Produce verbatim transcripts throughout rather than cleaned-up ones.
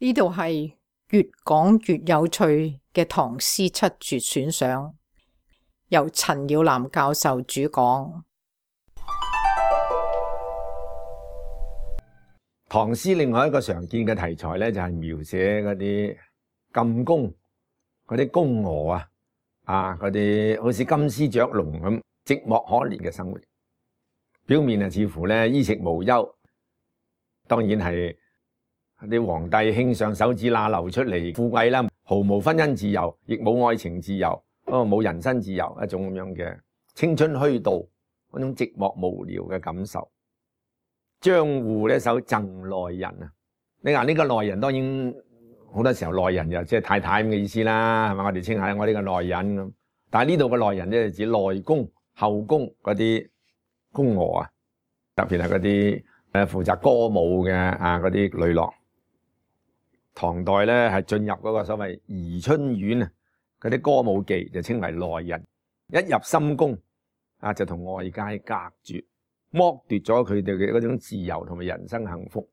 呢度係越講越有趣嘅唐詩七絕選賞，由陳耀南教授主講。唐詩另外一個常見嘅題材咧，就係描寫嗰啲禁宮嗰啲宮娥啊，啊嗰啲好似金絲雀籠咁寂寞可憐嘅生活。表面啊似乎咧衣食無憂，當然係啲皇帝卿上手指罅流出嚟富貴啦，毫無婚姻自由，亦冇愛情自由，哦冇人身自由，一種咁樣嘅青春虛度，嗰種寂寞無聊嘅感受。張戶呢首贈內人啊，你話呢個內人當然好多時候內人就即係太太咁嘅意思啦，係咪？我哋稱下我呢個內人咁，但係呢度嘅內人咧就指內宮後宮嗰啲宮娥啊，特別係嗰啲誒負責歌舞嘅啊嗰啲女郎。唐代咧係進入嗰個所謂宜春院啊，嗰啲歌舞伎就稱為內人，一入深宮啊就同外界隔絕，剝奪咗佢哋嘅嗰種自由同埋人生幸福。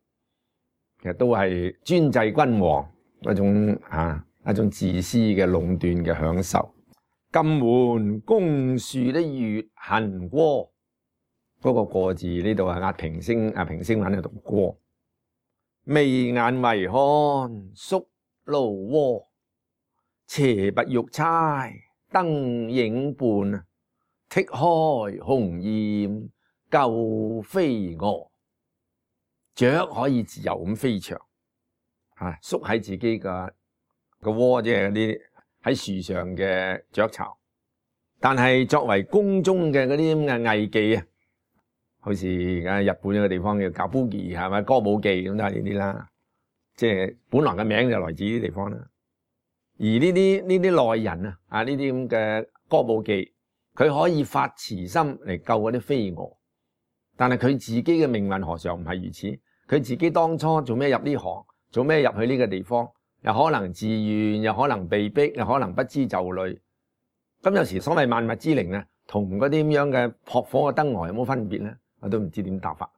其實都係專制君王嗰種啊一種自私嘅壟斷嘅享受。禁門宮樹的月恨歌，嗰個過字呢度係壓平聲啊平聲文喺度歌。眉眼為看宿蘆萵，斜拔玉釵燈影伴，剔開鴻雁救飛蛾。雀可以自由咁飛翔，啊，縮喺自己個個窩，即係嗰啲喺樹上嘅雀巢。但係作為宮中嘅嗰啲咁嘅藝妓啊，好似而家日本一個地方叫kabuki，係咪歌舞伎咁都係呢啲啦？即係本來嘅名就來自呢啲地方啦。而呢啲呢啲內人啊，啊呢啲咁嘅歌舞伎，佢可以發慈心嚟救嗰啲飛蛾，但係佢自己嘅命運何嘗唔係如此？佢自己當初做咩入呢行，做咩入去呢個地方，又可能自願，又可能被逼，又可能不知就裏。咁有時所謂萬物之靈啊，同嗰啲咁樣嘅撲火嘅燈蛾有冇分別咧？我都唔知點答法。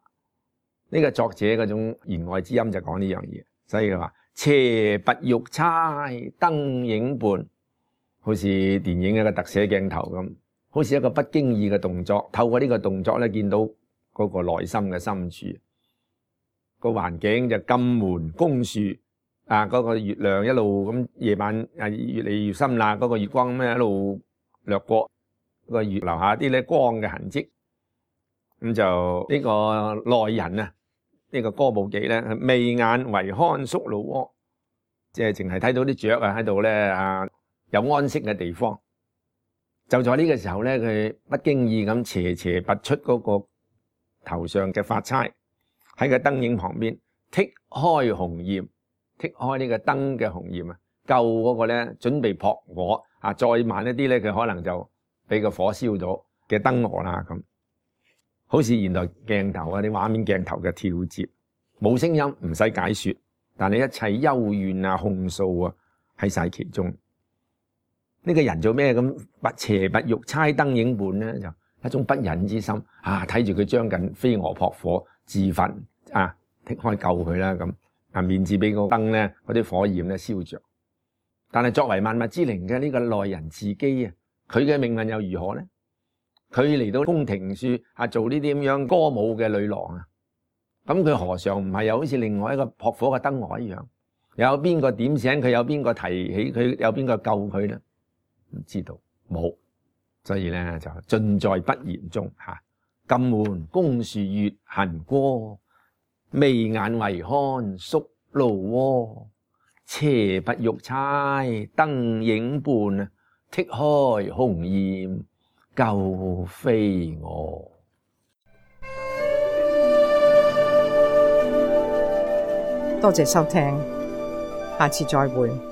呢個作者嗰種言外之音就講呢樣嘢，所以佢話斜拔玉釵燈影伴，好似電影一個特寫鏡頭咁，好似一個不經意嘅動作，透過呢個動作咧見到嗰個內心嘅深處。個環境就禁門宮樹啊，嗰個月亮一路咁夜晚啊越嚟越深啦，嗰個月光咁一路掠過個月留下啲咧光嘅痕跡。咁就呢個內人啊，呢個歌舞伎咧，眉眼為看宿蘆萵，即係淨係睇到啲雀啊喺度咧啊有安息嘅地方。就在呢個時候咧，佢不經意咁斜斜拔出嗰個頭上嘅髮釵，喺個燈影旁邊剔開鴻雁，剔開呢個燈嘅鴻雁啊，救嗰個咧準備撲火啊，再慢一啲咧，佢可能就俾個火燒咗嘅燈蛾啦咁。好似現代鏡頭啊啲畫面鏡頭嘅跳接，冇聲音唔使解說，但係一切幽怨啊控訴啊喺晒其中。呢、這個人做咩咁拔斜拔玉釵燈影伴咧？就一種不忍之心啊！睇住佢將近飛蛾撲火自焚啊，剔開救佢啦咁啊，免至俾個燈咧嗰啲火焰咧燒着。但係作為萬物之靈嘅呢個內人自己啊，佢嘅命運又如何咧？佢嚟到宮廷處啊，做呢啲咁樣歌舞嘅女郎啊，咁佢何嘗唔係又好似另外一個撲火嘅燈蛾一樣？有邊個點醒佢？有邊個提起佢？有邊個救佢咧？唔知道，冇，所以咧就盡在不言中吓。禁門宮樹月恨歌，眉眼為看宿蘆萵，斜拔玉釵燈影伴，剔開鴻雁救飛蛾。多謝收聽，下次再會。